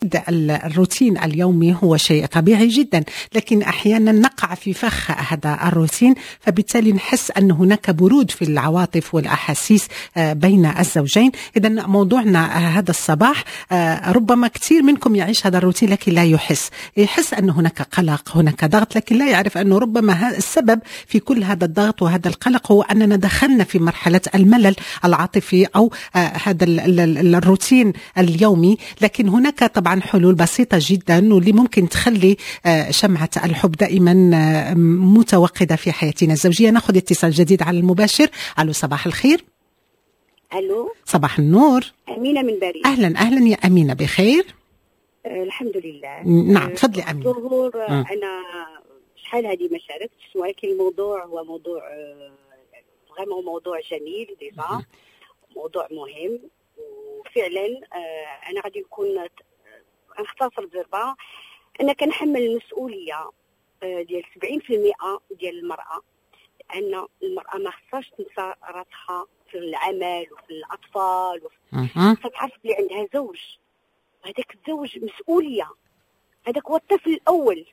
الروتين اليومي هو شيء طبيعي جدا، لكن احيانا نقع في فخ هذا الروتين، فبالتالي نحس ان هناك برود في العواطف والاحاسيس بين الزوجين. اذا موضوعنا هذا الصباح، ربما كثير منكم يعيش هذا الروتين لكن لا يحس، يحس ان هناك قلق، هناك ضغط، لكن لا يعرف انه ربما السبب في كل هذا الضغط وهذا القلق هو اننا دخلنا في مرحلة الملل العاطفي او هذا الروتين اليومي. لكن هناك طبعا حلول بسيطة جدا واللي ممكن تخلي شمعة الحب دائما متوقدة في حياتنا الزوجية. ناخذ اتصال جديد على المباشر. ألو، صباح الخير. الو. صباح النور. امينه من باريس. اهلا اهلا يا امينه، بخير؟ الحمد لله. نعم، تفضلي امينه. زهور، انا شحال هذه ما شاركتش، ولكن الموضوع هو موضوع vraiment موضوع جميل déjà، موضوع مهم، وفعلا انا غادي نكون نختصر بزربه. انا كنحمل المسؤولية ديال 70% ديال المراه، لان المراة ما خصهاش تنسى راسها في العمل وفي الاطفال وفي خصها تعرف بلي عندها زوج، هذاك الزوج مسؤوليه، هذاك هو الطفل الاول،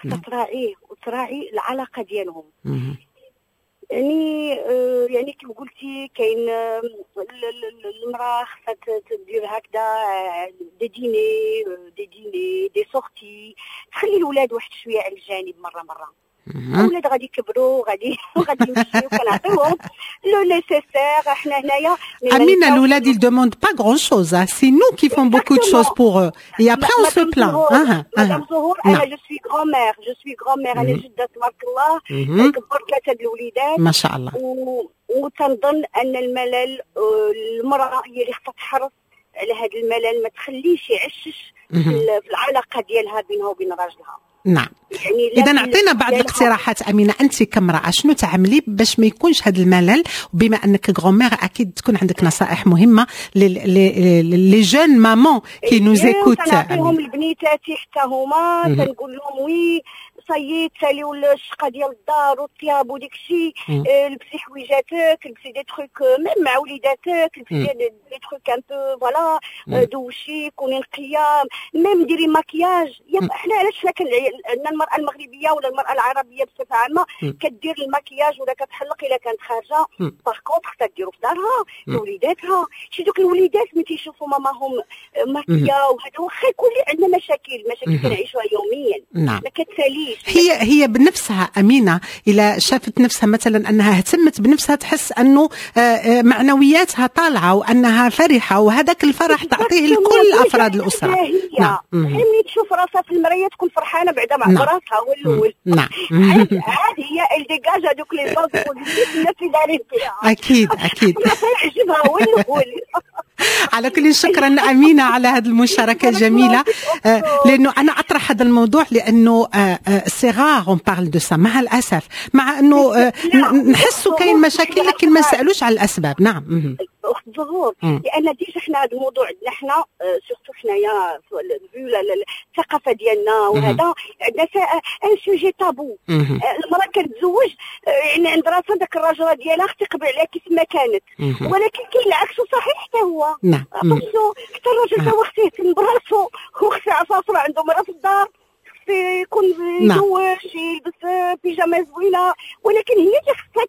خصها تراعيه وتراعي العلاقة ديالهم. يعني كيف قلتي كاين المراة خصها تدير هكذا des dîners، des sorties، تخلي الاولاد واحد شوية على الجانب مرة مره. الاولاد غادي يكبروا، غادي يمشيو، كنعطيوهم le nécessaire حنا هنايا. Amina، الولاد ils demandent pas grand chose، hein. C'est nous qui font beaucoup de choses pour eux et après on se plaint. مدام زهور، انا je suis grand-mère، je suis grand-mère، انا جده تبارك الله، كبرت ثلاثة الوليدات. ما شاء الله. وتنظن ان الملل، المراة هي اللي خصها تحرص على هذا الملل، ما تخليش يعشش في العلاقة ديالها بينها وبين راجلها. يعني اذا اعطينا بعض الاقتراحات امينه، انت كامراة شنو تعملي باش ما يكونش هذا الملل؟ وبما انك grand-mère اكيد تكون عندك نصائح مهمة les jeunes mamans qui nous écoutent. نعطيهم البنيتاتي حتى هما، تنقول لهم oui ça y est، تساليو الشقة ديال الدار والطياب وديك الشيء، لبسي حويجاتك، لبسي des trucs même مع وليداتك، لبسي des trucs un peu voilà، دوشي، كوني نقيه، même ديري ماكياج. حنا علاش حنا عندنا المراة المغربية ولا المراة العربية بصفة عامة كدير الماكياج ولا كتحلق الا كانت خارجه، par contre خصها ديرو في دارها لوليداتها. شي دوك الوليدات ملي تيشوفوا ماماهم maquillée وهذا، واخا يكون عندنا مشاكل، مشاكل كنعيشوها يوميا، ما كتساليش. هي هي بنفسها امينه، اذا شافت نفسها مثلا انها اهتمت بنفسها تحس انه معنوياتها طالعه وانها فرحه، وهذاك الفرح تعطيه لكل افراد الاسره. نعم، ملي تشوف راسها في المراية تكون فرحانة بعدا مع راسها هو الاول. عاد هي elle dégage هذوك les ondes الناس اللي دايرين فيها. اكيد. يعجبها هو الاول. على كل، شكرا امينه على هذه المشاركة الجميله، لانه انا اطرح هذا الموضوع لانه c'est rare on parle de ça مع الاسف، مع انه نحسوا كاين مشاكل لكن ما نسالوش على الاسباب. نعم. اخت زهور، لان déjà حنا هذا الموضوع عندنا حنا surtout حنايا vu الثقافة ديالنا وهذا عندنا un sujet tabou. المراة كتزوج يعني عند راسها داك الراجل ديالها خص يقبل عليها كيف ما كانت، ولكن كاين العكس صحيح حتى هو. حتى الراجل هو خصو يهتم براسو، هو خصو يعرف راسو عنده مراة في الدار، يكون يدوش، يلبس بيجاما زوينه، ولكن هي اللي خصها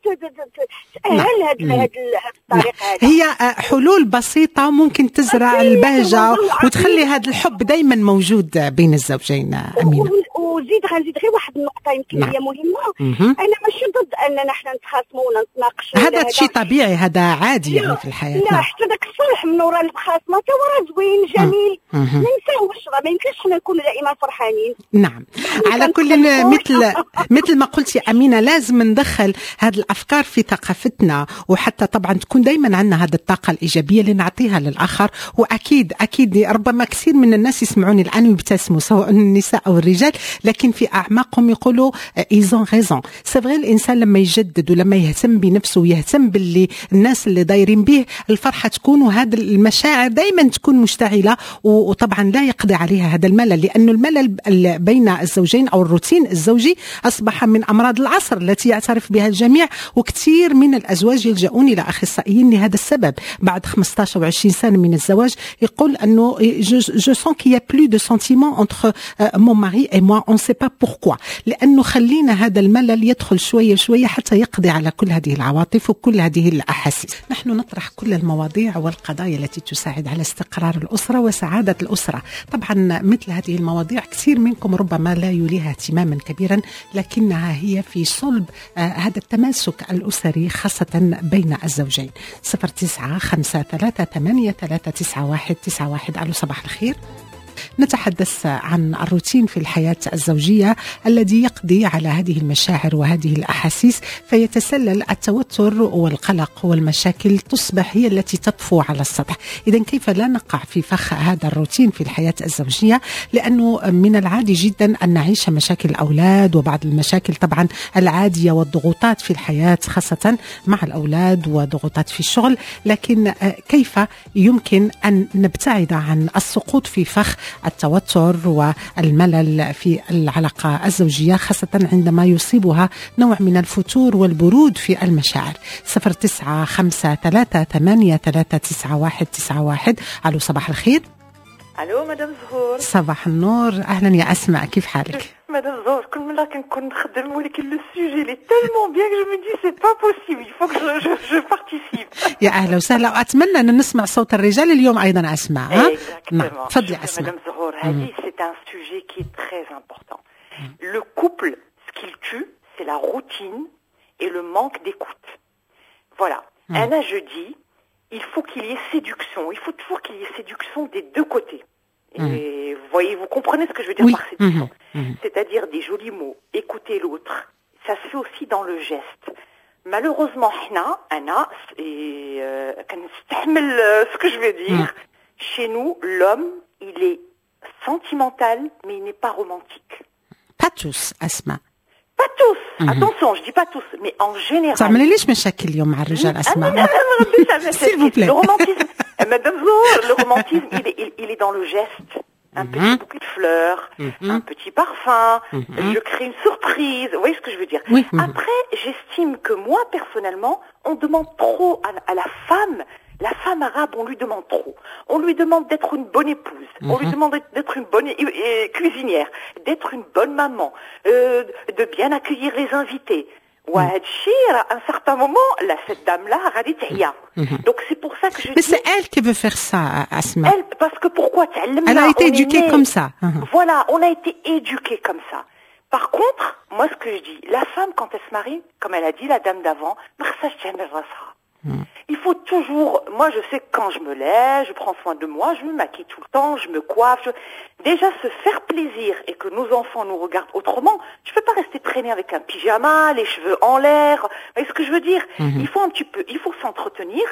تاهل هذه الطريقة. هذه هي حلول بسيطة ممكن تزرع البهجة وتخلي هذا الحب دائما موجود بين الزوجين امينه. وزيد غنزيد غير واحد النقطة يمكن هي مهمه. انا ماشي ضد اننا حنا نتخاصموا ولا نتناقشوا. هذا شيء طبيعي، هذا عادي يعني في الحياه. لا، حتى ذاك الصلح من وراء المخاصمه حتى هو راه زوين جميل. ما نساوش، راه ما يمكنش حنا نكونوا دائما فرحانين. نعم، على كل مثل ما قلتي امينه، لازم ندخل هذه الافكار في ثقافتنا، وحتى طبعا تكون دائما عندنا هذه الطاقة الايجابية اللي نعطيها للاخر. واكيد اكيد ربما كثير من الناس يسمعوني الان ويبتسموا، سواء النساء او الرجال، لكن في اعماقهم يقولوا ils ont raison، c'est vrai. الانسان لما يجدد ولما يهتم بنفسه ويهتم باللي الناس اللي دايرين به، الفرحة تكون وهذه المشاعر دائما تكون مشتعله، وطبعا لا يقضي عليها هذا الملل، لانه الملل بين الزوجين او الروتين الزوجي اصبح من امراض العصر التي يعترف بها الجميع، وكثير من الازواج يلجؤون الى اخصائيين لهذا السبب بعد 15 او 20 سنة من الزواج، يقول انه je sens qu'il y a plus de sentiments entre mon mari et moi، on sait pas pourquoi، لانه خلينا هذا الملل يدخل شوية شوية حتى يقضي على كل هذه العواطف وكل هذه الاحاسيس. نحن نطرح كل المواضيع والقضايا التي تساعد على استقرار الاسرة وسعادة الاسره. طبعا مثل هذه المواضيع كثير منكم ربما لا يوليها اهتماما كبيرا، لكنها هي في صلب هذا التماسك الاسري، خاصة بين الزوجين. 09 5 3 8 3 9 1 9 1. الو، صباح الخير. نتحدث عن الروتين في الحياة الزوجية الذي يقضي على هذه المشاعر وهذه الأحاسيس، فيتسلل التوتر والقلق، والمشاكل تصبح هي التي تطفو على السطح. إذا كيف لا نقع في فخ هذا الروتين في الحياة الزوجية؟ لأنه من العادي جدا أن نعيش مشاكل الأولاد وبعض المشاكل طبعا العادية والضغوطات في الحياة، خاصة مع الأولاد وضغوطات في الشغل، لكن كيف يمكن أن نبتعد عن السقوط في فخ التوتر والملل في العلاقة الزوجية، خاصة عندما يصيبها نوع من الفتور والبرود في المشاعر؟ 09 5 3 8 3 9 1 9 1. ألو، صباح الخير. الو مدام زهور. صباح النور، اهلا يا اسماء، كيف حالك؟ مدام زهور، كل مرة كنكون نخدم، ولكن le sujet il est tellement bien que je me dis c'est pas possible، il faut que je participe. يا اهلا وسهلا، واتمنى ان نسمع صوت الرجال اليوم ايضا اسماء، ها؟ نعم، تفضلي اسماء. مدام زهور، هذه c'est un sujet qui est très important. Le couple، ce qu'il tue، c'est la routine et le manque d'écoute. Voilà. أنا je dis، il faut qu'il y ait séduction. Il faut toujours qu'il y ait séduction des deux côtés. Et vous voyez, vous comprenez ce que je veux dire Oui. par séduction. C'est-à-dire des jolis mots, écouter l'autre. Ça se fait aussi dans le geste. Malheureusement, حنا، أنا، et كنستحمل ce que je vais dire, chez nous, l'homme, il est sentimental, mais il n'est pas romantique. Pas tous، أسماء. Pas tous. Attention، je dis pas tous، mais en général. تعملي ليش مشاكل اليوم مع الرجال أسماء؟ Ah, non، non، non، S'il vous plaît. Le romantisme، Madame Zour، le romantisme، il est dans le geste. Un petit bouquet de fleurs، un petit parfum، je crée une surprise. Vous voyez ce que je veux dire؟ Oui. Après، j'estime que moi، personnellement، on demande trop à la femme. La femme arabe، on lui demande trop. On lui demande d'être une bonne épouse. On lui demande d'être une bonne cuisinière، d'être une bonne maman، de bien accueillir les invités. وهادشي راه à un certain moment، là، cette dame-là غادي تعيا. Donc c'est pour ça que je Mais dis c'est elle qui veut faire ça، Asma. Elle، parce que pourquoi؟ تعلمنا، Elle a été on est éduquée né. comme ça. Voilà، on a été éduqué comme ça. Par contre، moi ce que je dis، la femme quand elle se marie، comme elle a dit la dame d'avant، ما خصهاش تعمل راسها. Il faut toujours، moi je sais que quand je me lève، je prends soin de moi، je me maquille tout le temps، je me coiffe. Déjà se faire plaisir et que nos enfants nous regardent autrement، je peux pas rester traîner avec un pyjama، les cheveux en l'air. Vous voyez ce que je veux dire؟ Il faut un petit peu، il faut s'entretenir،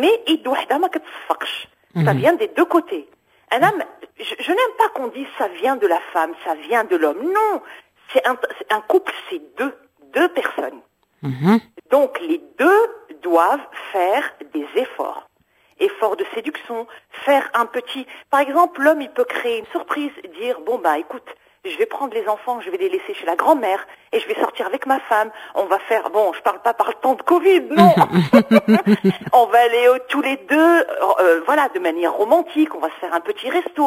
mais يد وحدة ما كتصفقش. Ça vient des deux côtés. أنا، je n'aime pas qu'on dise ça vient de la femme، ça vient de l'homme. Non، c'est un couple، c'est deux personnes. Donc les deux doivent faire des efforts. Efforts de séduction، faire un petit. Par exemple، l'homme، il peut créer une surprise، dire، bon bah écoute، je vais prendre les enfants، je vais les laisser chez la grand-mère et je vais sortir avec ma femme. On va faire، bon، je parle pas par le temps de Covid، non. On va aller tous les deux، voilà، de manière romantique، on va se faire un petit resto.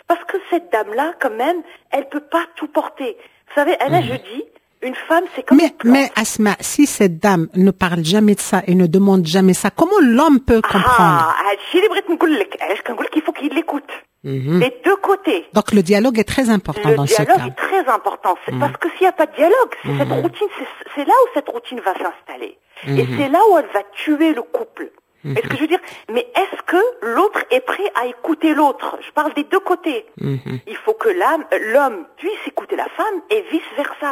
Parce que cette dame-là، quand même، elle peut pas tout porter. Vous savez، أنا، je dis، une femme، c'est comme Mais, une plante. mais Asma، si cette dame ne parle jamais de ça et ne demande jamais ça، comment l'homme peut comprendre؟ Ah، هادشي اللي بغيت نقول لك، علاش كنقول لك il faut qu'il l'écoute. Les deux côtés. Donc le dialogue est très important Le dans ce dialogue cas. est très important. Parce que s'il n'y a pas de dialogue، c'est cette routine، c'est là où cette routine va s'installer. Et c'est là où elle va tuer le couple. Est-ce que je veux dire؟ Mais est-ce que l'autre est prêt à écouter l'autre؟ Je parle des deux côtés. Il faut que l'homme puisse écouter la femme et vice-versa.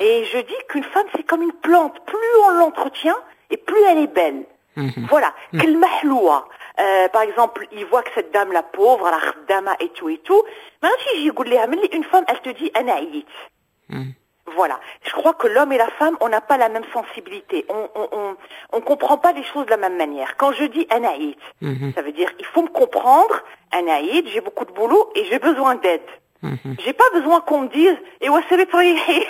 Et je dis qu'une femme، c'est comme une plante. Plus on l'entretient et plus elle est belle. Voilà. كلمة حلوة. Par exemple، il voit que cette dame، la pauvre، la خدامة et tout et tout. ما غاديش يجي يقول لها ملي une femme، elle te dit أنا عييت. Voilà. Je crois que l'homme et la femme، on n'a pas la même sensibilité. On comprend pas les choses de la même manière. Quand je dis أنا عييت، ça veut dire il faut me comprendre. أنا عييت، j'ai beaucoup de boulot et j'ai besoin d'aide. J'ai pas besoin qu'on me dise إيوا سيري تريحي.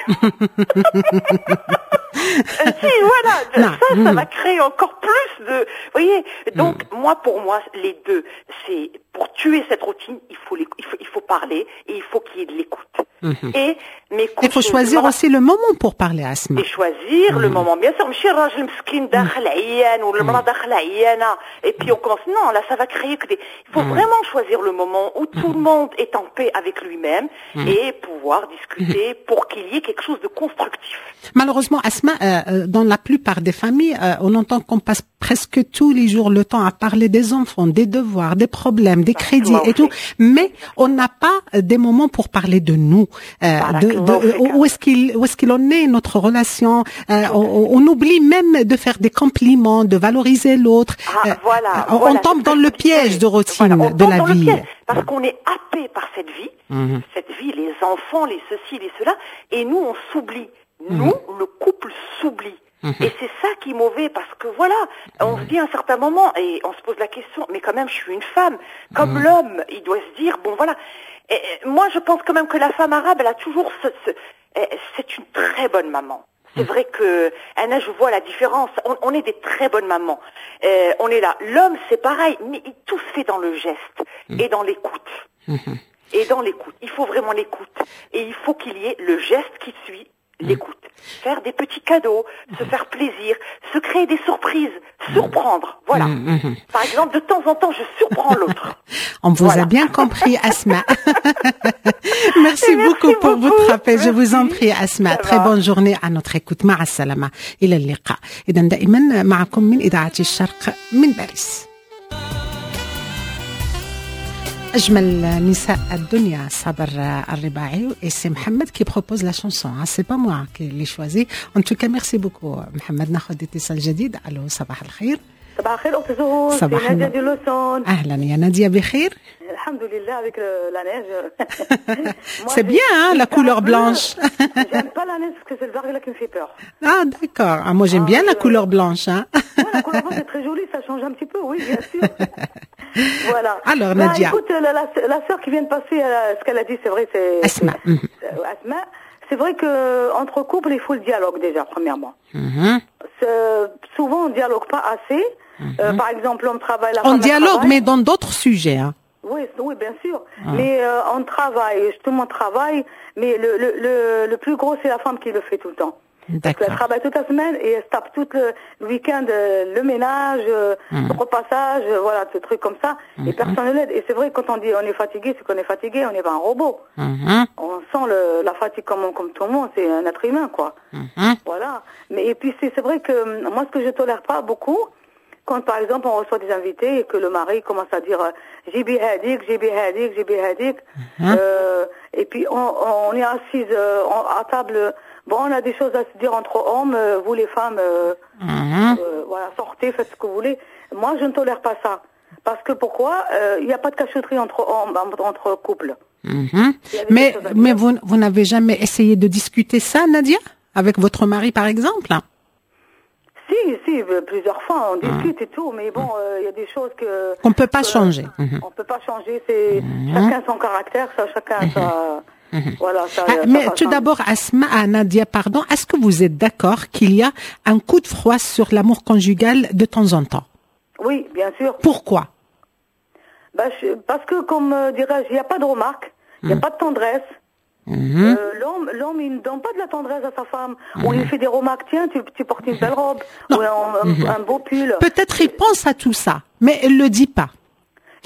Si, voilà, ça va créer encore plus de. Vous voyez, donc moi, pour moi, les deux, c'est pour tuer cette routine, il faut parler et il faut qu'il y ait de l'écoute. Et mais Il faut choisir aussi le moment pour parler, Asma. Et choisir le moment. Bien sûr, ماشي الراجل مسكين داخل عيان ولا المرأة داخلة عيانة et puis on commence. Non, là, ça va créer que des. Il faut vraiment choisir le moment où tout le monde est en paix avec lui-même et pouvoir discuter pour qu'il y ait quelque chose de constructif. Malheureusement, Asma, dans la plupart des familles, on entend qu'on passe presque tous les jours le temps à parler des enfants, des devoirs, des problèmes, des crédits et tout, mais on n'a pas des moments pour parler de nous, de où est-ce qu'il en est notre relation. On oublie même de faire des compliments, de valoriser l'autre. Ah, voilà, on voilà, tombe dans le piège de routine Voilà, on de tombe la dans le vie. Piège, parce qu'on est happé par cette vie, les enfants, les ceci, les cela, et nous, on s'oublie. Nous, le couple s'oublie. Et c'est ça qui est mauvais parce que voilà, on se dit à un certain moment et on se pose la question, mais quand même, je suis une femme. Comme l'homme, il doit se dire, bon voilà. Et moi, je pense quand même que la femme arabe, elle a toujours c'est une très bonne maman. C'est vrai que, أنا, je vois la différence. On est des très bonnes mamans. On est là. L'homme, c'est pareil, mais tout se fait dans le geste et dans l'écoute. Et dans l'écoute. Il faut vraiment l'écoute. Et il faut qu'il y ait le geste qui suit l'écoute. Faire des petits cadeaux, se faire plaisir, se créer des surprises, surprendre. Voilà. Par exemple, de temps en temps, je surprends l'autre. On vous Voilà. a bien compris, Asma. Merci Merci beaucoup pour beaucoup. votre appel. Je vous en Merci. Prie, Asma. Ça Très va. Bonne journée à notre écoute. مع السلامة. إلى اللقاء. إذا دائما معكم من إذاعة الشرق من باريس. أجمل نساء الدنيا صابر الرباعي et c'est Mohamed qui propose la chanson, hein, c'est pas moi qui l'ai choisi. En tout cas, merci beaucoup محمد. ناخذ اتصال جديد. الو، صباح الخير. صباح الخير أخت زهور. صباح c'est نادية النور. de Lausanne. أهلا يا نادية، بخير؟ الحمد لله avec la neige. Moi, C'est bien, hein, la j'ai couleur un peu- blanche. J'aime pas la neige parce que c'est le verglas qui me fait peur. Ah, d'accord. Ah, moi, j'aime Ah, bien la couleur blanche, hein. Ouais, la couleur blanche, c'est très joli, ça change un petit peu, oui, bien sûr. Voilà. Alors, Bah, Nadia. écoute, la sœur qui vient de passer, ce qu'elle a dit, c'est vrai, c'est Asma. Asma. C'est vrai que entre couples, il faut le dialogue déjà, premièrement. Souvent, on dialogue pas assez. Par exemple, l'homme travaille, la On femme elle dialogue, travaille. Mais dans d'autres sujets, hein. Oui, bien sûr. Mais on travaille, tout le monde travaille, mais le plus gros, c'est la femme qui le fait tout le temps. Parce qu'elle travaille toute la semaine et elle se tape tout le week-end le ménage, le repassage, voilà, ce truc comme ça. Et personne ne l'aide. Et c'est vrai, quand on dit on est fatigué, c'est qu'on est fatigué, on n'est pas un robot. On sent la fatigue comme tout le monde, c'est un être humain, quoi. Voilà. Mais et puis c'est vrai que moi, ce que je tolère pas beaucoup, quand par exemple on reçoit des invités et que le mari commence à dire جيبي هاديك، جيبي هاديك، جيبي هاديك, et puis on est assise à table, bon, on a des choses à se dire entre hommes, vous les femmes, voilà, sortez, faites ce que vous voulez. Moi, je ne tolère pas ça. Parce que pourquoi? Il n'y a pas de cachotterie entre hommes, entre couples. Il y avait Mais, des choses à mais dire. vous n'avez jamais essayé de discuter ça, Nadia? Avec votre mari, par exemple? Si, si, plusieurs fois, on discute et tout, mais bon, il y a des choses que Qu'on peut pas que changer. On peut pas changer, c'est chacun son caractère, ça, chacun sa. Voilà, ça. Ah, ça mais va tout changer. D'abord, Asma, ah, Nadia, pardon, est-ce que vous êtes d'accord qu'il y a un coup de froid sur l'amour conjugal de temps en temps? Oui, bien sûr. Pourquoi? Bah, parce que, comme dirais-je, il n'y a pas de remarque, il n'y a pas de tendresse. L'homme, il ne donne pas de la tendresse à sa femme. Ou il fait des remarques, tiens, tu portes une belle robe, Non. ou un beau pull. Peut-être il pense à tout ça, mais il le dit pas.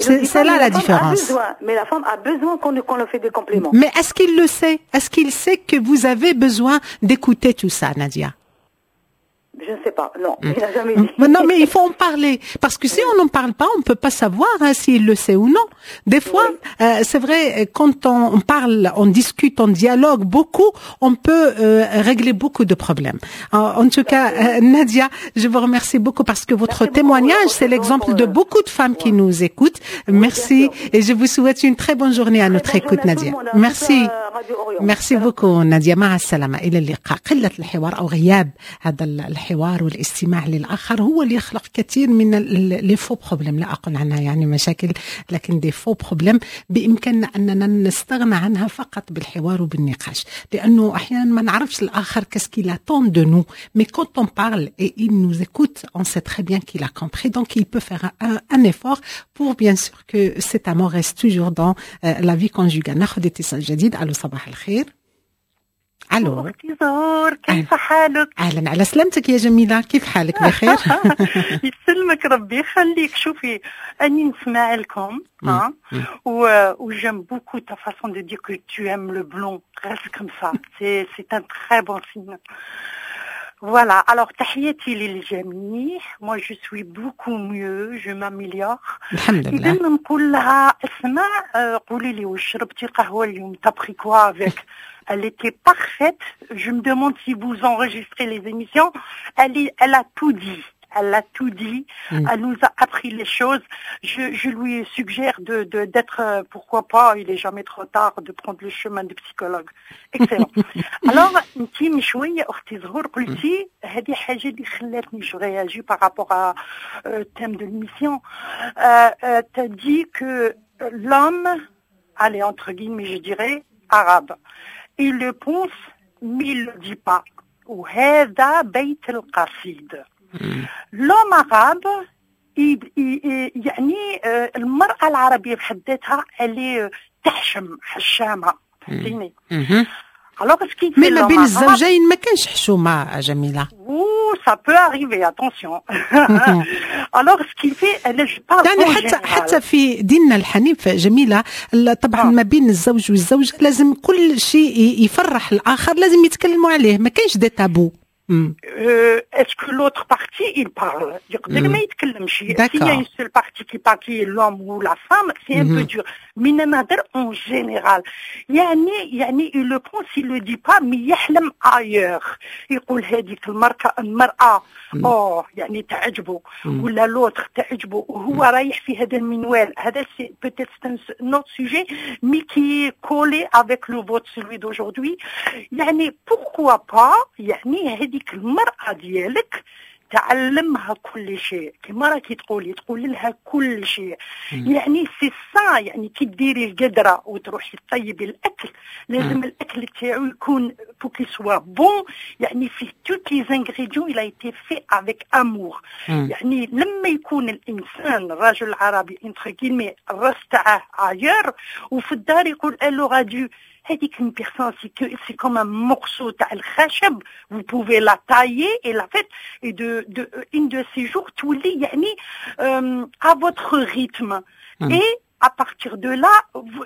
Il le C'est dit c'est pas, là mais la femme a différence. besoin, mais la femme a besoin qu'on lui fait des compliments. Mais est-ce qu'il le sait? Est-ce qu'il sait que vous avez besoin d'écouter tout ça, Nadia? Je ne sais pas, non, il n'a jamais dit. Mais non, mais il faut en parler. Parce que si on n'en parle pas, on ne peut pas savoir, hein, s'il le sait ou non. Des fois, c'est vrai, quand on parle, on discute, on dialogue beaucoup, on peut régler beaucoup de problèmes. En tout cas, Nadia, je vous remercie beaucoup parce que votre Merci beaucoup, témoignage, c'est pour, l'exemple de beaucoup de femmes qui nous écoutent. Merci Bien sûr. et je vous souhaite une très bonne journée à Très notre bonne écoute, journée à tout Nadia. le monde, hein, Merci. toute la radio. Radio Orient. Merci beaucoup نادية، مع السلامة، إلى اللقاء. قلة الحوار أو غياب هذا الحوار والاستماع للآخر هو اللي يخلق كثير من les faux problèmes، لا أقول عنها يعني مشاكل، لكن des faux problèmes بإمكاننا أننا نستغنى عنها فقط بالحوار وبالنقاش، لأنه أحيانا ما نعرفش الآخر qu'est-ce qu'il attend de nous، mais quand on parle et il nous écoute، on sait très bien qu'il a compris، donc il peut faire un effort pour bien sûr que cet amour reste toujours dans la vie conjugale. ناخذ اتصال جديد. الو، صباح الخير، الو. اختي زهور، كيف حالك؟ اهلا، على سلامتك يا جميله، كيف حالك؟ بخير؟ يسلمك ربي يخليك. شوفي، اني نسمع لكم ها و j'aime beaucoup ta façon de dire que tu aimes le blond، reste comme ça، c'est un très bon signe. Voilà, alors تحياتي للجميع. Moi je suis beaucoup mieux، je m'améliore. الحمد لله. إذا نقول لها اسمع، قولي لي واش شربتي قهوة اليوم؟ T'as pris quoi avec؟ Elle était parfaite. Je me demande si vous enregistrez les émissions. Elle a tout dit. Elle a tout dit. Elle nous a appris les choses. Je lui suggère d'être, pourquoi pas, il est jamais trop tard de prendre le chemin du psychologue. Excellent. Alors, انت من شوية أختي زهور قلتي هذه حاجة اللي خلاتني je réagis par rapport à thème de l'émission. T'as dit que l'homme, allez entre guillemets je dirais, arabe, il le pense mais il le dit pas. وهذا بيت القصيد. L'homme arabe يعني المرأة العربية بحد ذاتها اللي تحشم، حشامة، فهمتيني؟ Alors ce qui mais ما بين الزوجين ما كانش حشومه جميله. Ouh، ça peut arriver، attention. Alors ce qui fait انا je parle يعني حتى في ديننا الحنيف جميله، طبعا ما بين الزوج والزوجة لازم كل شيء يفرح الاخر لازم يتكلموا عليه، ما كانش des tabous. Est-ce que l'autre partie il parle؟ يقدر ما يتكلمش. S'il y a une seule partie qui parle، qui est l'homme ou la femme، c'est un peu dur. Mais نهضر en général. يعني il le pense، il le dit pas، mais يحلم ailleurs. يقول هذيك المرأة أوه يعني تعجبه ولا l'autre تعجبه، وهو رايح في هذا المنوال هذا. C'est peut-être un autre sujet mais qui est collé avec le vôtre، celui d'aujourd'hui. يعني pourquoi pas يعني هذيك المرأة ديالك تعلمها كل شيء، كما راكي تقولي، تقول لها كل شيء. يعني c'est ça، يعني كي ديري القدرة وتروحي طيبي الاكل، لازم الاكل تاعو يكون pour qu'il soit bon، يعني فيه tous les ingrédients، il a été fait avec amour. يعني لما يكون الانسان الرجل العربي entre guillemets الراس تاعه ailleurs وفي الدار يقول elle aura dû، هذيك une personne c'est comme un morceau تاع الخشب، vous pouvez la tailler et la faire et de une de ces jours تولي يعني à votre rythme. Et à partir de là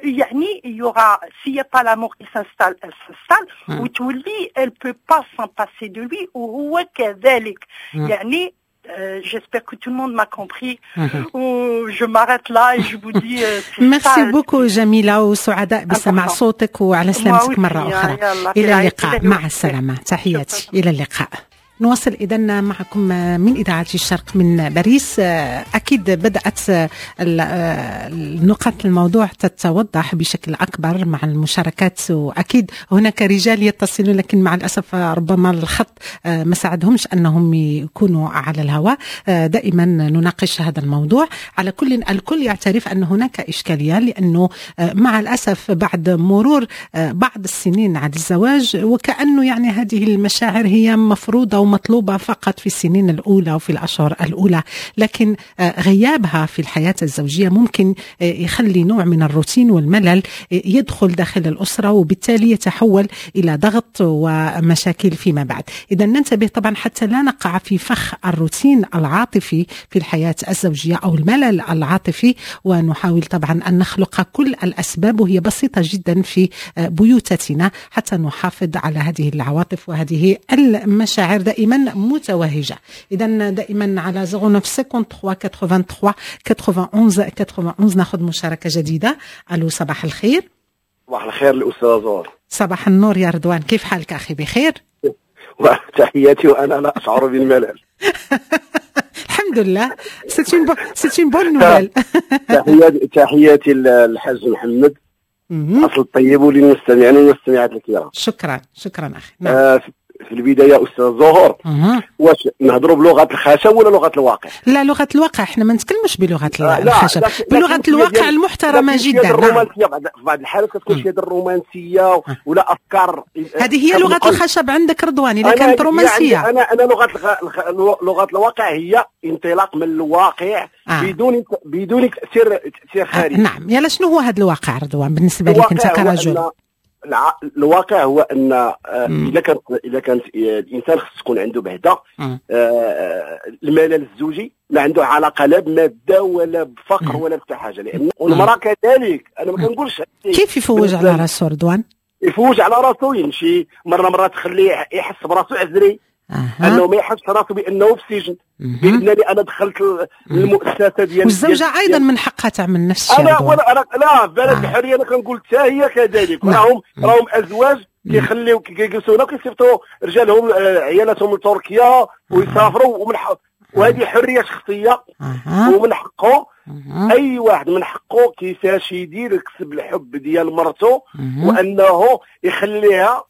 يعني il y aura، s'il n'y a pas l'amour qui s'installe، elle s'installe وتولي elle peut pas s'en passer de lui وهو كذلك. يعني j'espère que tout le monde m'a compris. Je m'arrête là et je vous dis. Merci beaucoup جميلة، وسعداء بسماع صوتك، وعلى سلامتك مرة أخرى. إلى اللقاء، مع السلامة، تحياتي، إلى اللقاء. نواصل إذا معكم من إذاعة الشرق من باريس. أكيد بدأت نقاط الموضوع تتوضح بشكل أكبر مع المشاركات، وأكيد هناك رجال يتصلون لكن مع الأسف ربما الخط ما ساعدهمش أنهم يكونوا على الهواء. دائما نناقش هذا الموضوع. على كل، الكل يعترف أن هناك إشكالية، لأنه مع الأسف بعد مرور بعض السنين على الزواج وكأنه يعني هذه المشاعر هي مفروضة ومطلوبة فقط في السنين الأولى وفي الأشهر الأولى، لكن غيابها في الحياة الزوجية ممكن يخلي نوع من الروتين والملل يدخل داخل الأسرة، وبالتالي يتحول إلى ضغط ومشاكل فيما بعد. إذا ننتبه طبعا حتى لا نقع في فخ الروتين العاطفي في الحياة الزوجية أو الملل العاطفي، ونحاول طبعا أن نخلق كل الأسباب، وهي بسيطة جدا، في بيوتنا حتى نحافظ على هذه العواطف وهذه المشاعر دائما متوهجة. إذا دائما على 09 53 83 91 91 ناخذ مشاركة جديدة. ألو، صباح الخير. صباح الخير الأستاذ زهور. صباح النور يا رضوان، كيف حالك أخي؟ بخير؟ تحياتي، وأنا لا أشعر بالملل. الحمد لله، c'est une bonne nouvelle. تحياتي للحاج محمد. اصل الطيب وللمستمعين والمستمعات الكرام. شكرا شكرا اخي. نعم. في البداية استاذ زهور، واش نهضروا بلغه الخشب ولا لغة الواقع؟ لا، لغة الواقع، احنا ما نتكلمش بلغه الخشب، بلغه الواقع المحترمة جدا. الرومانسية في بعض الحالات كتكون شي الرومانسية ولا افكار. هذه هي لغة الخشب عندك رضوان، اذا كانت رومانسية. انا لغة الواقع هي انطلاق من الواقع بدون تاثير خارجي. نعم، يلا شنو هو هذا الواقع رضوان بالنسبة لك انت كرجل؟ الواقع هو ان اذا كانت الانسان خص تكون عنده بعدا الملل الزوجي ما عنده علاقة لا بمادة ولا بفقر ولا بحتى حاجة، لان والمراة كذلك. انا ما كنقولش كيف يفوج على راسو رضوان؟ يفوج على راسو، يمشي مرة تخليه يحس براسو عزري، انه ما يحسش راسو بانه في السجن، بانني انا دخلت المؤسسة ديال. والزوجة ايضا من حقها تعمل نفس الشيء. انا لا، بلد الحرية انا كنقول حتى هي كذلك. راهم ازواج كيخليو كيجلسوا هنا وكيصيفطوا رجالهم عيالاتهم لتركيا ويسافروا، وهذه حرية شخصية ومن حقه. اي واحد من حقه كيفاش يدير يكسب الحب ديال مرته، وانه يخليها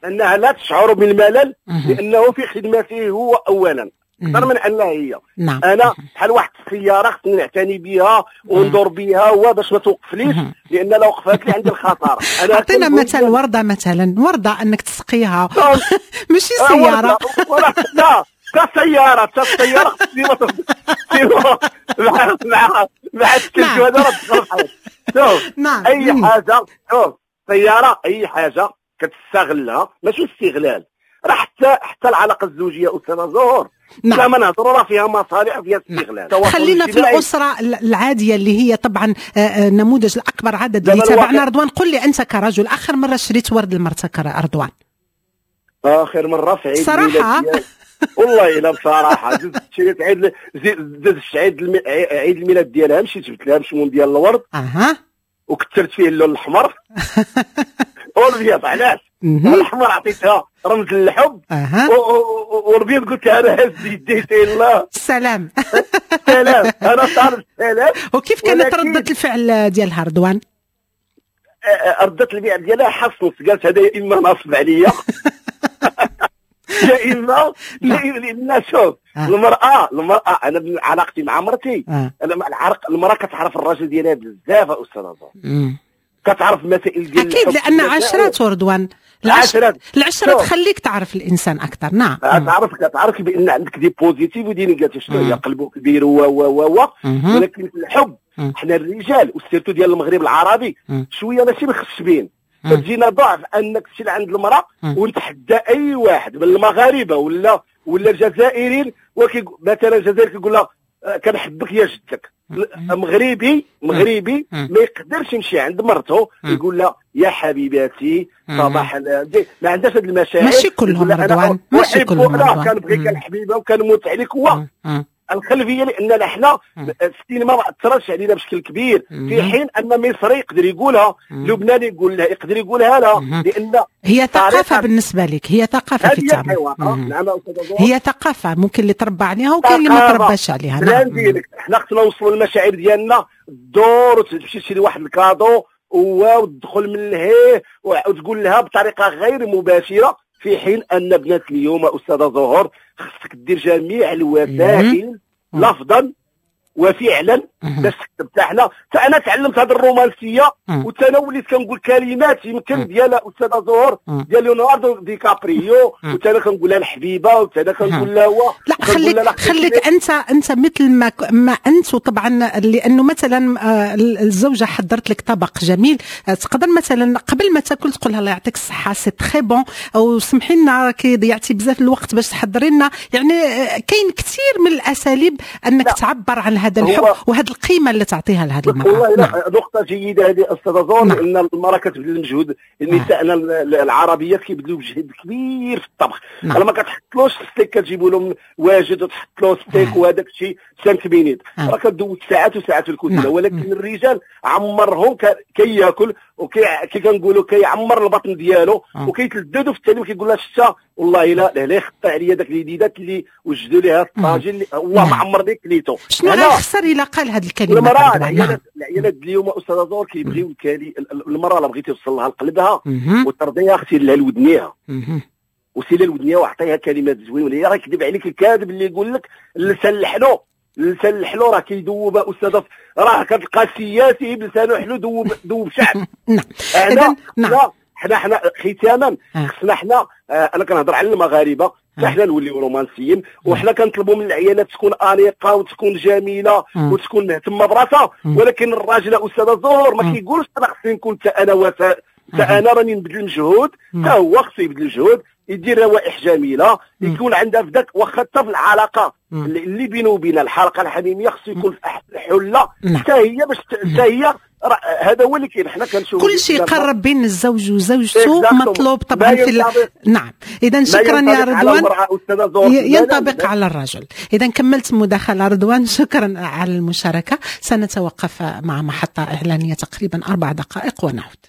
انها لا تشعر بالملل، لانه في خدمته هو اولا اكثر من انها هي. نعم. انا بحال واحد السيارة خصني نعتني بها وندور بها وباش ما توقفليش، لان لو وقفت لي عندي الخطر. اعطينا مثل ورده، مثلا ورده انك تسقيها ماشي سيارة. لا كسياره، حتى السيارة مع مع مع التلج هذا راه تخرب. شوف، اي حاجة، شوف سيارة، اي حاجة كتستغلها ماشي استغلال، راه حتى العلاقة الزوجية استاذه زهور. نعم. لا ما نهضروا راه فيها مصالح وفيها استغلال. خلينا في الاسرة العادية اللي هي طبعا النموذج الاكبر عدد اللي تابعنا. رضوان قل لي انت كرجل، اخر مرة شريت ورد لمرتك رضوان؟ اخر مرة في عيد صراحة والله الا بصراحة شريت عيد عيد الميلاد ديالها، مشيت جبت لها مشموم ديال الورد وكثرت فيه اللون الاحمر والابيض. علاش؟ الاحمر عطيتها رمز للحب، والابيض قلت لها انا هز يديتي الله السلام سلام، انا طالب السلام. وكيف كانت ردة الفعل ديالها رضوان؟ ردة الفعل ديالها حصلت، قالت هذا يا اما ناصب عليا يا اما لان شوف المراة انا علاقتي مع مرتي، انا المراة كتعرف الراجل ديالها بزاف استاذ، كتعرف المسائل ديال اكيد، لان عشرات رضوان، العشرة تخليك تعرف الانسان اكثر. نعم، تعرف بان عندك des positifs و des négatifs، شنو هي قلبه كبير و و و ولكن في الحب حنا الرجال و surtout ديال المغرب العربي شوية ماشي مخشبين، فتجينا ضعف انك تمشي لعند المراة ونتحدى اي واحد من المغاربة ولا الجزائريين، مثلا الجزائري كيقول لها كنحبك يا جدك، مغربي ما يقدرش يمشي عند مرته يقول لها يا حبيباتي صباح، ما عندهاش هاد المشاعر. ماشي كلهم رضوان، ماشي كلهم رضوان. كنبغيك الحبيبة وكنموت عليك. هو الخلفية لان حنا السينما ما اثرتش علينا بشكل كبير، في حين ان مصري يقدر يقولها، لبناني يقولها، يقدر يقولها لا، لان هي ثقافة بالنسبة لك، هي ثقافة في التعامل. نعم، هي ثقافة ممكن اللي تربى عليها وكاين اللي ما ترباش عليها. نعم، حنا خصنا نوصلوا المشاعر ديالنا الدور، وتمشي تشري واحد ال cadeau وتدخل من لهيه وتقول لها بطريقة غير مباشرة، في حين ان بنات اليوم استاذه زهور خصك دير جميع الوسائل لفظا وفعلا باش تكتب. حتى انا تعلمت هذه الرومانسية، وحتى انا وليت كنقول كلمات يمكن ديال استاذه زهور ديال ليوناردو دي كابريو، وحتى انا كنقول لها الحبيبة، وحتى انا كنقول لها هو. لا، خليك انت مثل ما انت. وطبعا لانه مثلا الزوجة حضرت لك طبق جميل، تقدر مثلا قبل ما تاكل تقول لها الله يعطيك الصحة c'est très bon، او سمحي لنا كي ضيعتي بزاف الوقت باش تحضري لنا. يعني كاين كثير من الاساليب انك تعبر عن هذا الحب وهذه القيمة اللي تعطيها لهذه المراة. والله نعم. نقطة جيدة هذه استاذه زهور، نعم. لان المراة كتبذل المجهود، النساء العربيات كيبذلوا مجهود كبير في الطبخ. نعم. انا ما كتحطلوش ستيك، كتجيبوا لهم واجد وتحط له ستيك وهذاك الشيء 5 minutes، راه كدوز ساعات وساعات في الكوزينة. نعم. ولكن الرجال عمرهم كياكل وكي كنقولوا كيعمر البطن ديالو وكيتلذذ، وفي التالي كيقول لها شتا والله الا لا يخطي عليا داك اليديدات اللي وجدوا ليها الطاجين اللي والله ما عمر ديك كليتو. شنو غيخسر الا قال هذه الكلمة؟ المراة العيالات اليوم استاذه زهور كيبغيو المراة لا بغيتي توصل لها لقلبها وترضيها خسير لها لودنيها وسيلة الودنيه وعطيها كلمات زوينة. هي راه يكذب عليك الكاذب اللي يقول لك اللسان الحلو، اللسان الحلو راه كيذوب استاذه، راه كتلقى سياسي بلسانه حلو ذوب شعب. نعم. اذا نعم حنا ختاما خصنا حنا انا كنهضر على المغاربة حنا نوليو رومانسيين، وحنا كنطلبوا من العيالات تكون انيقه وتكون جميلة وتكون مهتمة براسها، ولكن الراجل استاذه زهور ما كيقولش انا خصني نكون حتى انا وفاء، حتى انا راني نبذل مجهود، حتى هو خصو يبذل مجهود، يدير روائح جميلة، يكون عندها في ذاك، واخا حتى في العلاقة اللي بينه وبين الحلقة الحميمية خصو يكون في احسن حله حتى هي، باش حتى هي هذا هو اللي كاين. حنا كنشوفوا كل شيء يقرب بين الزوج وزوجته مطلوب طبعا في نعم. اذا شكرا يا رضوان، ينطبق على الرجل. اذا كملت مداخله رضوان، شكرا على المشاركة. سنتوقف مع محطة اعلانية تقريبا 4 دقائق ونعود.